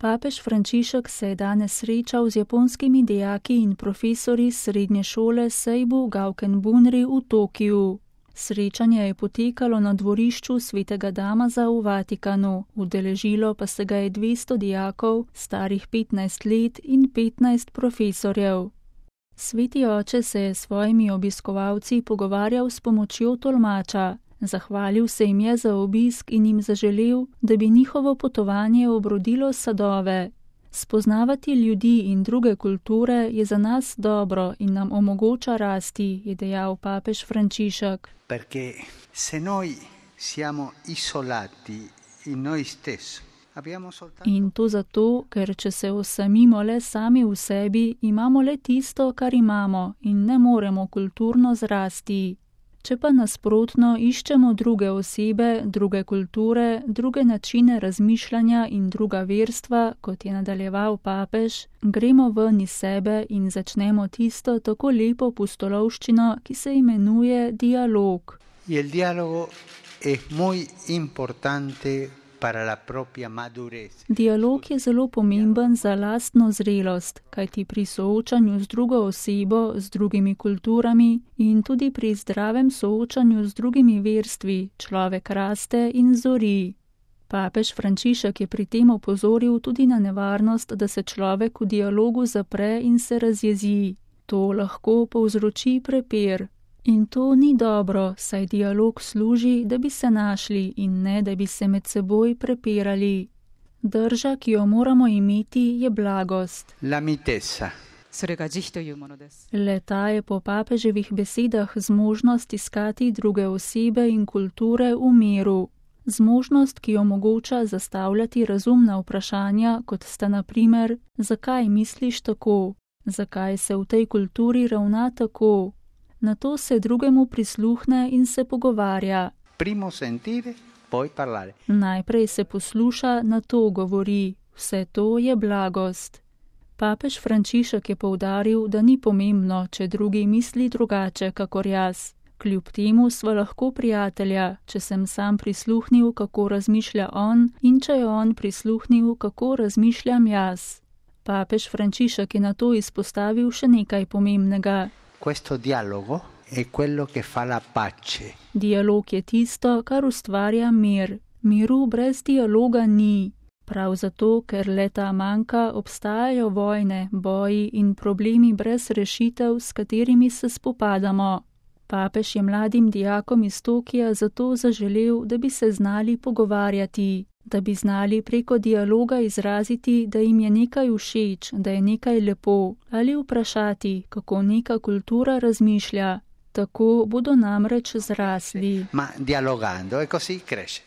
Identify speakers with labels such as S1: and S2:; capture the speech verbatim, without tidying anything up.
S1: Papež Frančišek se je danes srečal z japonskimi dijaki in profesorji srednje šole Seibu Gauken Bunri v Tokiju. Srečanje je potekalo na dvorišču Svetega Damaza v Vatikanu, udeležilo pa se ga je dvesto dijakov, starih petnajst let in petnajst profesorjev. Sveti oče se je s svojimi obiskovalci pogovarjal s pomočjo tolmača. Zahvalil se jim je za obisk in jim zaželel, da bi njihovo potovanje obrodilo sadove. Spoznavati ljudi in druge kulture je za nas dobro in nam omogoča rasti, je dejal papež Frančišek.
S2: Perché se noi siamo isolati in noi stessi, abbiamo soltanto...
S1: In to zato, ker če se osamimo le sami v sebi, imamo le tisto, kar imamo in ne moremo kulturno zrasti. Če pa nasprotno iščemo druge osebe, druge kulture, druge načine razmišljanja in druga verstva, kot je nadaljeval papež, gremo ven iz sebe in začnemo tisto tako lepo pustolovščino, ki se imenuje dialog.
S2: Il dialogo è muy importante para la propria madurez.
S1: Dialog je zelo pomemben za lastno zrelost, kajti pri soočanju z drugo osebo, z drugimi kulturami in tudi pri zdravem soočanju z drugimi verstvi človek raste in zori. Papež Frančišek je pri tem opozoril tudi na nevarnost, da se človek v dialogu zapre in se razjezi. To lahko povzroči prepir. In to ni dobro, saj dialog služi, da bi se našli in ne, da bi se med seboj prepirali. Drža, ki jo moramo imeti, je blagost.
S2: La mitezza.
S1: Le ta je po papeževih besedah zmožnost iskati druge osebe in kulture v miru. Zmožnost, ki omogoča zastavljati razumna vprašanja, kot sta na primer, zakaj misliš tako, zakaj se v tej kulturi ravna tako. Nato se drugemu prisluhne in se pogovarja.
S2: Primo sentire, poi parlare.
S1: Najprej se posluša, nato govori. Vse to je blagost. Papež Frančišek je poudaril, da ni pomembno, če drugi misli drugače kakor jaz. Kljub temu sva lahko prijatelja, če sem sam prisluhnil, kako razmišlja on, in če je on prisluhnil, kako razmišljam jaz. Papež Frančišek je nato izpostavil še nekaj pomembnega.
S2: Questo dialogo è quello che fa la pace.
S1: Dialog je tisto, kar ustvarja mir. Miru brez dialoga ni. Prav zato, ker leta manjka, obstajajo vojne, boji in problemi brez rešitev, s katerimi se spopadamo. Papež je mladim dijakom iz Tokija zato zaželel, da bi se znali pogovarjati, da bi znali preko dialoga izraziti, da jim je nekaj všeč, da je nekaj lepo, ali vprašati, kako neka kultura razmišlja. Tako bodo namreč zrasli.
S2: Ma dialogando e così cresce.